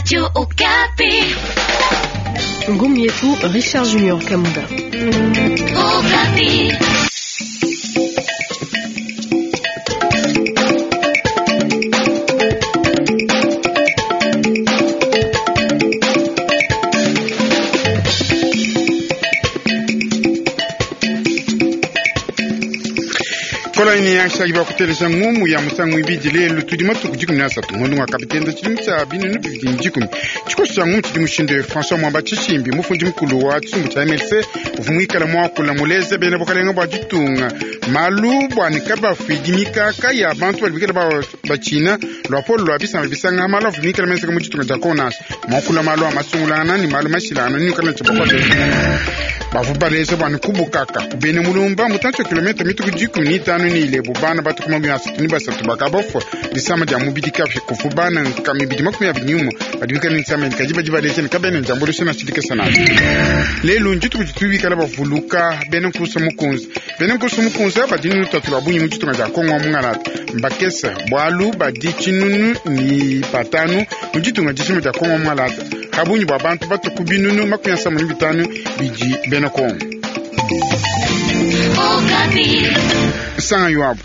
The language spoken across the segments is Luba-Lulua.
Radio Okapi. Ngumu yetu Richard Junior Kamuda. Okapi. Kolaini yashaki bakutelesha ngumu ya musangu ibidi lelu tudi matuku 13 ngondo wa kapitenda tshidimu tshia 2010 tshikoso tshia ngumu tshidi mushinde François Mwamba Tshishimbi mufundi mukulu wa tshisumbu tshia MLC uvua muikala muakula muleze bena bukalenga bua ditunga malu bua ne kabafidi mikaka ya bantu badi bikala batshina luapolo lua bisamba bisanga malu avua mikala menzeka mu ditunga dia Kongo muakula malu a masungulangana ne malu mashilangana ne kala bavua baleza bua ne kubukaka kubene mulumba mutantshi wa kilomita mituku 15 ni ilebo bana batuku 33 bakabafua disama dia mubidi kafi kufu bana nka mibidi 21 badi bikala ne disama kadi badi baleza ne kabene njambulisha na tshidikesa nazo lelu ndituku ditu bikala bavuluka bena nkusa mukunzi bena nkusa mukunzi badi ne lutatu lua bungi mu ditunga dia Kongo wa mungalata mbakesa bualu badi tshinunu ni batanu mu ditunga dishima dia Kongo wa mungalata habungi bua bantu batuku 75 bidi bena Kongo. Sanga yuabu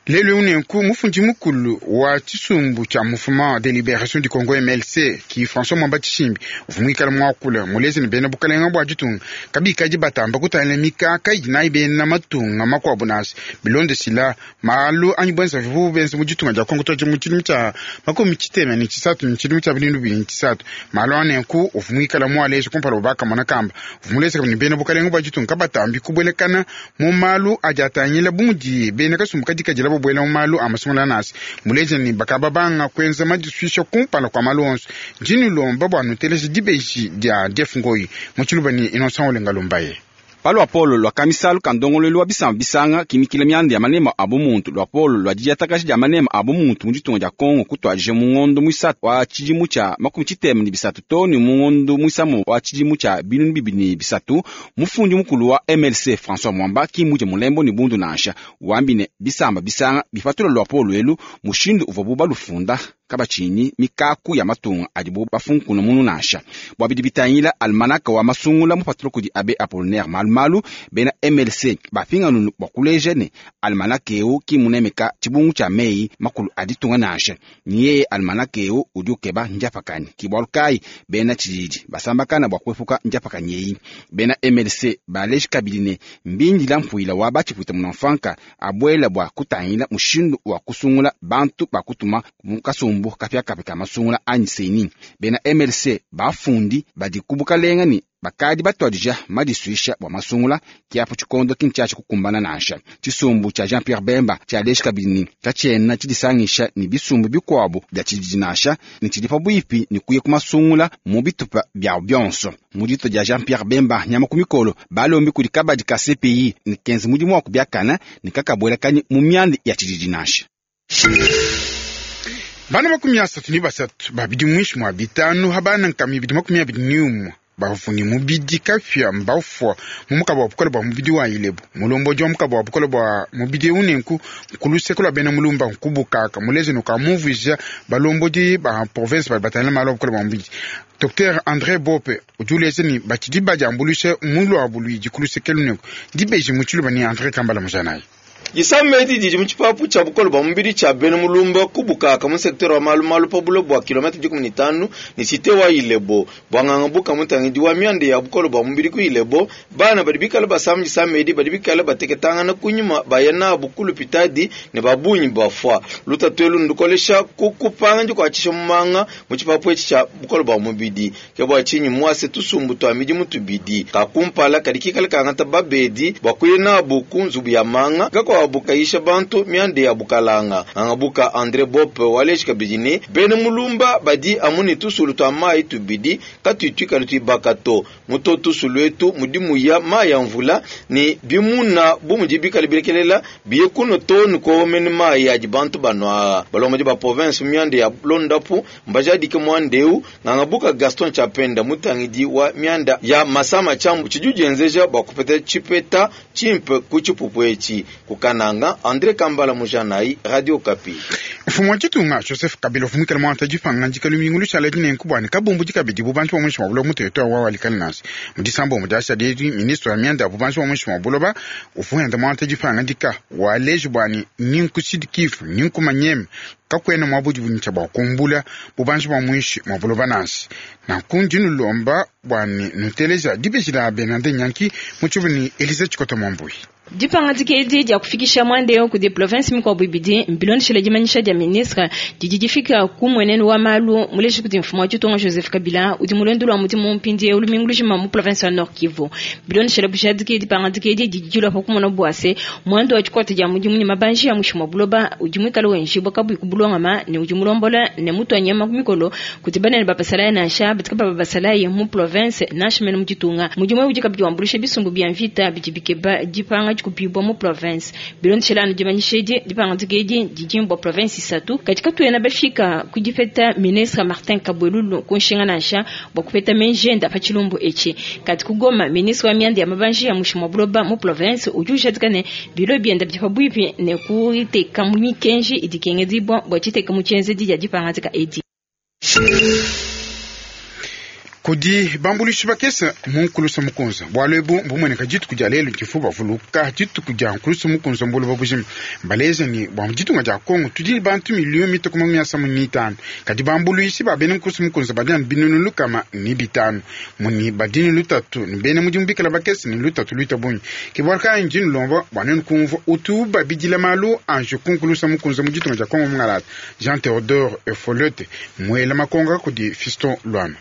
lelu unenku mufundi mukulu wa tshisumbu tshia mouvement de libération du Congo MLC ki François Mwamba Tshishimbi uvua muikala muakula muleze ne bena bukalenga bua ditunga kabikadi batamba kutangila mikaka idi nayi bena matunga makuabu nansha bilondeshila malu anyi buenza vivu benza mu ditunga dia Kongo toje mu tshidimu tshia 63 ne tshidimu tshia 2003 malu anenku uvua muikala mualeja kumpala ubakamona kamba uvua muleze ne bena bukalenga bua ditunga kabatambi kubuelekana mu malu adi atangila bu mudi bena kasumbu kadikadila buela mu malu a masungula nasi muleja ne bakaba banga kuenza madisuisha kumpala kwa malu onso ndinilomba bua nuteleje dibeji dia Jeff Ngoyi mu tshiluba ni Innocent Olenga Lumbaye. Paluapolo lua kamisalu ka ndongoluelu wa bisamba bisanga kimikila mianda ya manema a bumuntu luapolo lua didiatakaja dia manema a bumuntu mu ditunga dia Kongo kutuadija mu ngondo muisatu wa tshidimu tshia 73 to ne mu ngondo muisamo wa tshidimu tshia 2003 mufundi mukulu wa MLC François Mwamba kimuje mulembo ne bundu nansha wambi ne bisamba bisanga bipatula luapolo elu mushindu uvua bu balufunda kabatshini mikaku ya matunga adibu bafunkuna munu nansha bua bidi bitangila almanaka wa masungula mupatula kudi abe Apollinaire Malumalu bena MLC bapinganunu bua kuleja ne almanaka eu kimunemeka tshibungu tshia meyi makulu a ditunga nansha nyeye almanaka eu udi ukeba njapakani kibualu kayi bena tshididi basambakana bua kuepuka njapakani eyi bena MLC baleji kabidi ne mbindila mpuila wa batshipwita munamfanka abuela bua kutangila mushindu wa kusungula bantu bakutuma mu kasumbu kapiakapia ka masungula anyi seni bena MLC bafundi badi kubukalenga ne bakadi batuadija madisuisha bua masungula kiapo tshikondo kintshiatshi kukumbana nansha tshisumbu tshia Jean Pierre Bemba tshialeji kabidi ne katshiena tshidisangisha ne bisumbu bikuabu bia tshididi nansha ne tshidi pabuipi ne kuya ku masungula mu bitupa biawu bionso mu dito dia Jean Pierre Bemba nyama ku mikolo balombi kudi kabadi ka CPI ne kenza mudimu wa kubiakana ne kakabuelakanyi mu mianda ya tshididi nansha. Bana 33 babidi mwishi mwa 5 habana nkami 21 bavuni mubidi kapya mbafua mu mukaba wa bukole bua mubidi wa ilebo mulombodi wa mukaba wa bukole bua mubidi eu nenku kuluseke lua bena mulumba nkubukaka muleze nukamuvija balombodi ba province badi batangila malu a bukole bua mubidi Dr André Bope udi uleja ne batshidi badiambuluisha mu luabu luidi kuluseke lunenku dibeji mu tshiluba ni André Kambala Mujanayi. Disama edi didi mu tshipapu tshia bukole bua mubidi tshia bena mulumba kubukaka mu sektere wa malumalu pa bulo bua kilomita 15 ne site wa Ilebo bua ngangabuka mutangidi wa mianda ya bukole bua mubidi ku Ilebo bana badi bikala basama disama edi badi bikala bateketangana kunyima baya nabu ku lupitadi ne babunyi bafua lutatu elu ndukolesha ku kupanga dikuatshisha mumanga mu tshipapu etshi tshia bukole bua mubidi ke bua tshinyi muase tusumbu tua midimu tubidi kakumpala kadi kikala kangata babedi bua kuya nabu ku nzubu ya manga kakwa bukayisha bantu mianda ya bukalanga angabuka André Bope waleji kabidi ne bena mulumba badi amu ne tusulu tua mayi tubidi katuituikala tuibaka to muto tusulu etu mudimu ya mayi ya mvula ne bimuna bu mudi bikala bilekelela biye kuno to ne kuomene mayi adi bantu banua balombodi ba province mianda ya londapu mbajadike muandeu ngangabuka Gaston Chapenda mutangidi wa mianda ya masama chambu tshidi udienzeja bua kupeta tshipeta tshimpe ku tshipupu etshi. Kananga, Andre Kambala Mujanayi, Radio Okapi. Mfumu wa ditunga Joseph Kabila uvua muikale muangata dipangadika lumingu lushala dinenku bua ne kabumbudi kabidi bubanji bua muinshi mua buloba mu territoire wa Walikale nansha. Mu disambombo diashadi edi, ministre wa mianda ya bubanji bua muinshi mua buloba uvua wenda muangata dipangadika waleji bua ne ni nku Sud Kivu ni nku Maniema kakuena muaba udi bunyisha bua kumbula bubanji bua muinshi mua buloba nansha. Nanku ndi nulomba bua ne nuteleja dibeji dia Bernardin Nyanki mu tshivu ne Elise Tshikota Mwambui. Dipangadika edi dia kufikisha muanda eu kudi province mikuabu ibidi mbilondeshile dimanyisha dia ministre didi difika ku mmuenenu wa malu muleja kudi mfumu wa ditunga Joseph Kabila udi mu luendu lua mudimu mpindieu lumingu lujima mu province wa Nord Kivu. Bilondeshile bujadiki, dipangadika edi didi dilua pa kumona bua se, muanda wa dikuata dia mudimu ne mabanji a muinshi mua buloba udi muikale wenjibua kabuyi ku bulongama ne udi mulombola ne mutua nyama ku mikolo kudi banene ba basalayi nansha badi kababa basalayi mu province nansha mene mu ditunga. Mudimu eu udi kabidi wambuluisha bisumbu bia mvita bidi bikeba dipanga dikubibua mu province. Bilondeshile anu dimanyisha edi, dipangadika edi didi bua province isatu, kadi katuena bafika ku dipeta ministre Martin Kabwelulu ku nshinga nansha bua kupeta meji ende pa tshilumbu etshi. Kadi ku Goma, ministre wa mianda ya mabanji a muinshi mua buloba mu province udi ujadika ne, bilo biende bidi pabuipi ne kuteka mikenji idi ikengedibua bua diteka mu tshienzedi dia dipangadika edi. Kudi bambuluishi bakese mu nkulusa mukunza. Bualu ebu mbumueneka dituku dia lelu divu bavuluka dituku dia nkulusa mukunza mu buloba bujima. Mbaleja ne, bua mu ditunga dia Congo tudi ne bantu miliyo mitue ku makumi asamu ne itanu, kadi bambuluishi ba bena nkulusa mukunza badi anu binunu 105. Muni badi ne lutatu ne bena mudimu bikala bakese ne lutatu luita bungi. Ke bualu kayi ndi nulomba bua nuenu kumvua utu ubabidila malu a njiku nkulusa mukunza mu ditunga dia Congo mungalata. Jean Theodore Efoliote muela makonga kudi Fiston Luama.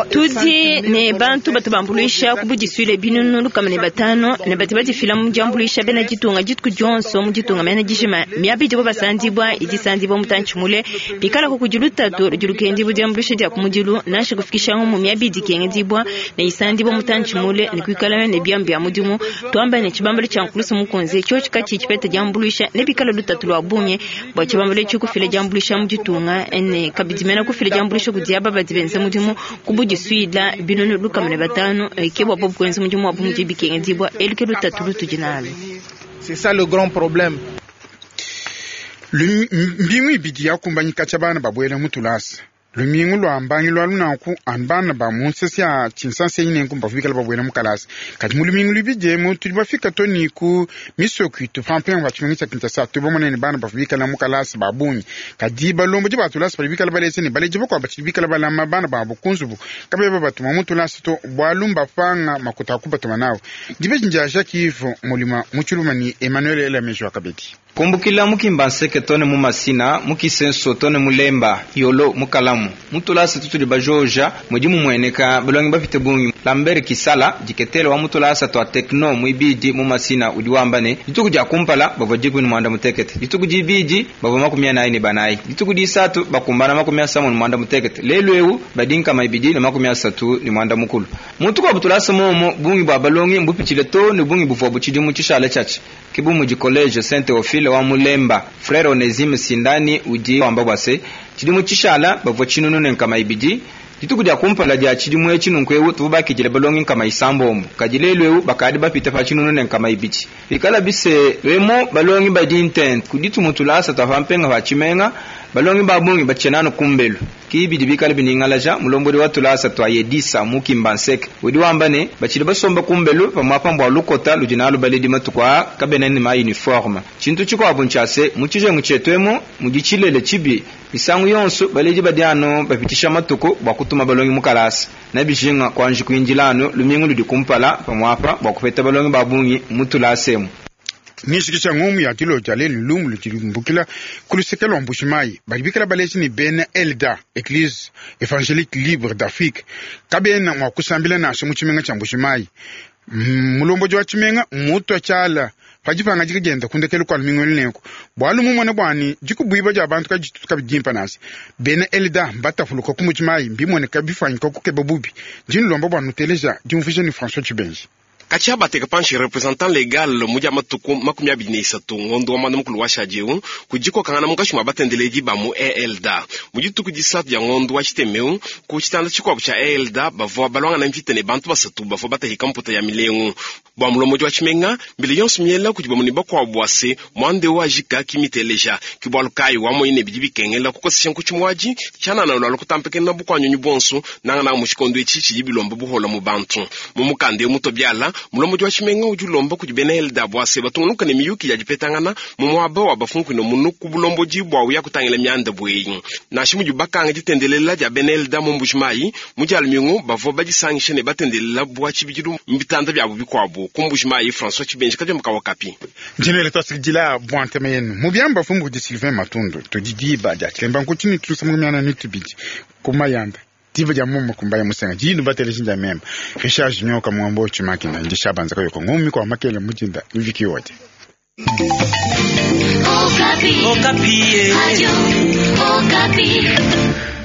Tudi ne bantu batu bambuluisha ku budisuile 505 ne badi badifila mu diambuluisha bena ditunga dituku dionso mu ditunga mene dijima. Miaba idibo basandibua idi isandibua mutantshi mule, pikalaku kudi lutatu ludi lukendibua diambuluisha dia kumudilu nansha kufikisha ngumu miaba idi ikengedibua ne isandibua mutantshi mule ne kuikala ne biamu bia mudimu. Tuamba ne tshibambalu tshia nkulusu mukunze tshiotshi katshiyi tshipeta diambuluisha nebikale lutatu lua bungi bua tshibambalu etshi kufila diambuluisha mu ditunga ne kabidi mena kufila diambuluisha kudi aba badi benza mudimu ku budisuila 505 ke bua bobu kuenza mudimu wabu mudi bikengedibua. Elu ke lutatu lutudi nalu. C'est ça le grand problème. Mbingu ibidi yakumbanyi katshia bana babuela mu tulasa. Lumingu lua mbangilu alu nanku anu bana ba mu nsese ya tshinsansenyi nenku mbavua bikala babuela mu kalasa. Kadi mu lumingu luibidi emu tudi bafika to ne ku misoko itu pa mpenga pa tshimenga tshia Kinshasa tudi bamone ne bana bavua bikala mu kalasa ba bungi. Kadi balombodi ba tulasa badi bikala baleja ne baledi bakuabu batshidi bikala balama bana babu ku nzubu kabena babatuma mu tulasa to bualu mbapanga makuta a kubatuma nawu. Dibeji ndia Jacques Yves Mulima mu Tshiluma ne Emmanuel Elameji wa kabidi. Kumbukila mu Kimbanseke too ne mu Masina, mu Kisenso too ne mu Lemba, Yolo, mu Kalamu, mu tulasa tutudi bajoja mudi mumueneka balongi bapite bungi. Lambert Kisala, diketele wa mu tulasa tua Techno muibidi mu Masina udi wamba ne, Dituku dia kumpala bavua 18, dituku dibidi bavua 44, dituku disatu bakumbana 38, lelu eu badi 231. Mu tukuabu tulasa muomu, bungi bua balongi mbupitshile too ne bungi buvuabu tshidimu tshishale tshiatshi. Ke bu mudi College Saint Theophile wa mu Lemba. Frere Onesime Sindani udi wamba bua se, tshidimu tshishala bavua 1200. Dituku dia kumpala dia tshidimu etshi nunku eu tuvua bakidile balongi 90, kadi lelu eu bakadi bapite pa 1200. Pikalabi se, emu balongi badi ntente ku ditu tulasa tua pa mpenga pa tshimenga, balongi ba bungi batshiena anu kumbelu. Ki bidi bikale biningalaja mulombodi wa tulasa tua Yedisa mu Kimbanseke. Udi wamba ne, batshidi basomba kumbelu pamuapa mbua lukota ludi nalu baledi matuku aa kabena ne ma uniforme. Tshintu tshikuabu ntshia se, mu tshijengu tshietu emu mudi tshilele tshibi. Misangu yonso baledi badi anu bapitshisha matuku bua kutuma balongi mu kalasa. Nebijinga kuanji kuindila anu lumingu ludi kumpala pamuapa bua kupeta balongi ba bungi mu tulasa emu. Nishikisha ngumu ya dilo dia lelu lumu ludi lumbukila ku luseke lua Mbuji-Mayi. Badi bikala baleji ne bena ELDA, Eglise Evangelique Libre d'Afrique, kabena mua kusambila nansha mu tshimenga tshia Mbuji-Mayi. Mulombodi wa tshimenga mmutua tshiala pa dipangadika dienda ku ndekelu kua lumingu elu nenku, bualu mumone bua ne dikubuibua dia bantu kaditutu kabidi dimpa nansha. Bena ELDA mbatapuluka ku Mbuji-Mayi, mbimueneka bifuanyika kukeba bubi. Ndi nulomba bua nuteleja diumvuija ne François Tshibenji. Katshia bateka panshi representant legal mu dia matuku 23 ngondo wa mwanda mukulu wa shadi eu kudikokangana munkatshi mua batendeledi ba mu ELDA. Mu dituku disatu dia ngondo wa tshitemeu ku tshitanda tshikuabu tshia ELDA bavua balwangana mvita ne bantu basatu bavua batahika mputa ya milengu. Bua mulombodi wa tshimenga mbila yonso miela kudi bamue ne bakuabu bua se muanda eu ajika kimiteleja. Ke bualu kayi wamonyi ne bidi bikengela kukosesha nkutshi muadi tshianana lualu kutampekena bukuanyunyi buonso nangananga mu tshikondo etshi tshidi bilomba buhola mu bantu. Mu mukanda eu mutobiala mulombodi wa tshimenga udi ulomba kudi bena ELDA bua se batungunuka ne miyuki ya dipetangana mu muaba wa bafunkuino munu ku bulombodi bua uya kutangila mianda bueyi. Nansha mudi bakanga ditendelela dia bena ELDA mu Mbujimayi mu dia lumingu bavua badisangisha ne batendelela bua tshibidilu mu bitanda biabu bikuabu. Ku Mbujimayi, François Tshibenji kadiomba ka Okapi. Njinele twasikidila bua ntema yenu mu biamba fumbu kudi Sylvain Matundu tudi diba dia tshilemba nkuti ne tusa mu miana ne tubidi ku mayanda diba dia muma kumbaya musenga jinu batele jinja memba Richard Junior kamwambo chimakina ndi shabanza kayoko ngumi kwa makele mujinda wiki yote. Okapi. Okapi. Radio Okapi.